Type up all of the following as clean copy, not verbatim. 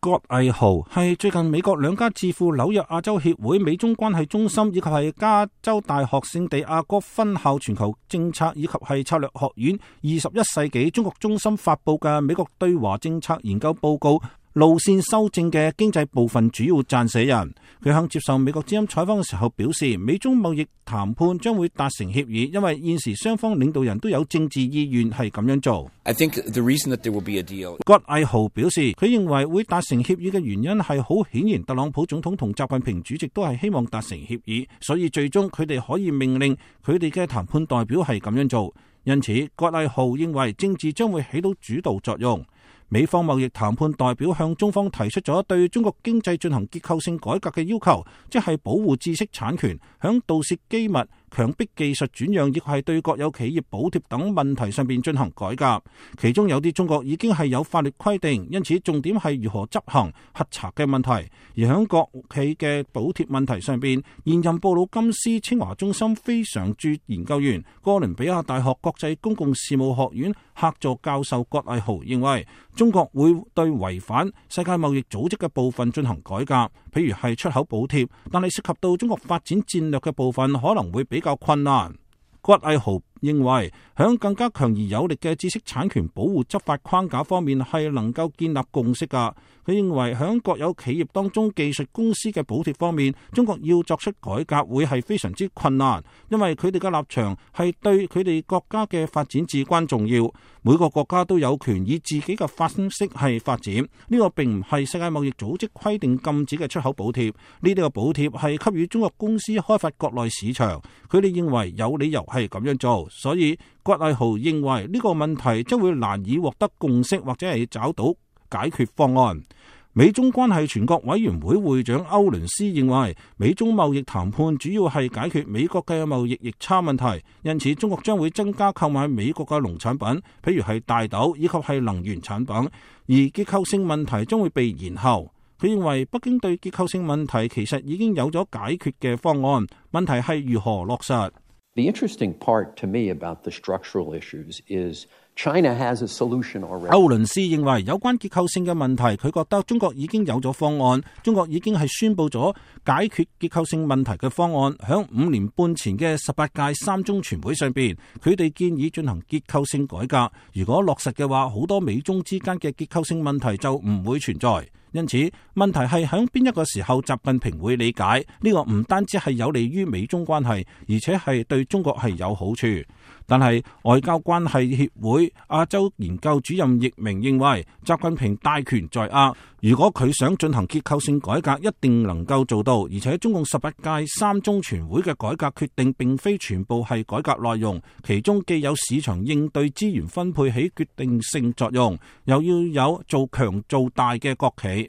葛毅豪係最近美國兩家智庫紐約亞洲協會美中關係中心以及係加州大學聖地亞哥分校全球政策以及係策略學院21世紀中國中心發佈嘅美國對華政策研究報告路線修正嘅經濟部分主要撰寫人。佢向接受美國之音採訪嘅時候表示，美中貿易談判將會達成協議，因為現時雙方領導人都有政治意願係咁樣做。葛毅豪表示，佢認為會達成協議嘅原因係好顯然，特朗普總統同習近平主席都係希望達成協議，所以最終佢哋可以命令佢哋嘅談判代表係咁樣做。因此，葛毅豪認為政治將會起到主導作用。美方貿易談判代表向中方提出咗對中國經濟進行結構性改革嘅要求，即係保護知識產權、響盜竊機密、強迫技術轉讓，亦係對國有企業補貼等問題上邊進行改革。其中有啲中國已經係有法律規定，因此重點係如何執行核查嘅問題。而響國企嘅補貼問題上邊，現任布魯金斯清華中心非常駐研究員、哥倫比亞大學國際公共事務學院客座教授葛毅豪認為，中國會對違反世界貿易組織嘅部分進行改革，譬如係出口補貼，但係涉及到中國發展戰略嘅部分可能會比較困難。葛毅豪認為，響更加強而有力嘅知識產權保護執法框架方面係能夠建立共識㗎。佢認為響國有企業當中技術公司嘅補貼方面，中國要作出改革會係非常之困難，因為佢哋嘅立場係對佢哋國家嘅發展至關重要。每個國家都有權以自己嘅方式係發展，呢個並唔係世界貿易組織規定禁止嘅出口補貼，呢啲嘅補貼係給予中國公司開發國內市場。佢哋認為有理由係咁樣做，所以葛毅豪認為呢個問題將會難以獲得共識或者係找到解決方案。美中關係全國委員會會長歐倫斯認為，美中貿易談判主要係解決美國嘅貿易逆差問題，因此中國將會增加購買美國嘅農產品，譬如係大豆以及係能源產品，而結構性問題將會被延後。佢認為北京對結構性問題其實已經有咗解決嘅方案，問題係如何落實。The interesting part to me about the structural issues is China has a solution already. 歐倫斯認為有關結構性嘅問題，佢覺得中國已經有咗方案，中國已經係宣布咗解決結構性問題嘅方案。響5年半前嘅18屆三中全會上邊，佢哋建議進行結構性改革。如果落實嘅話，好多美中之間嘅結構性問題就唔會存在。因此，問題係響邊一個時候習近平會理解呢個，唔單止係有利於美中關係，而且係對中國係有好處。但係外交關係協會亞洲研究主任易明認為，習近平大權在握，如果佢想進行結構性改革，一定能夠做到。而且中共18屆三中全會嘅改革決定並非全部係改革內容，其中既有市場應對資源分配起決定性作用，又要有做強做大嘅國企。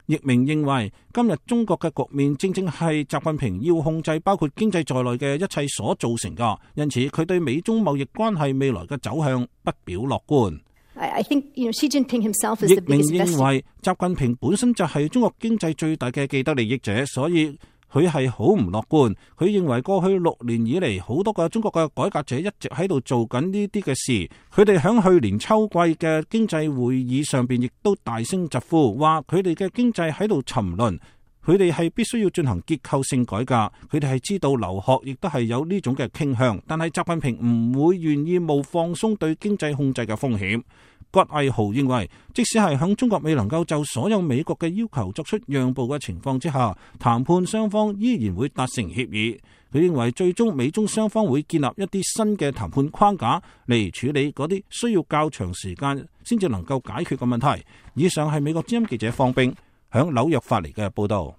易明認為，今日中國嘅局面正正係習近平要控制包括經濟在內嘅一切所造成㗎，因此佢對美中貿易關係未來嘅走向不表樂觀。Xi Jinping himself is the biggest investor. 易明認為，習近平本身就係中國經濟最大嘅既得利益者，所以佢係好唔樂觀。佢認為過去6年以嚟，好多個中國嘅改革者一直喺度做緊呢啲嘅事。佢哋喺去年秋季嘅經濟會議上邊，亦都大聲疾呼，話佢哋嘅經濟喺度沉淪。佢哋係必須要進行結構性改革。佢哋係知道劉鶴亦都係有呢種嘅傾向，但係習近平唔會願意冒放鬆對經濟控制嘅風險。葛毅豪認為，即使係響中國未能夠就所有美國嘅要求作出讓步嘅情況之下，談判雙方依然會達成協議。佢認為最終美中雙方會建立一啲新嘅談判框架嚟處理嗰啲需要較長時間先至能夠解決嘅問題。以上係美國之音記者方冰響紐約發嚟嘅報道。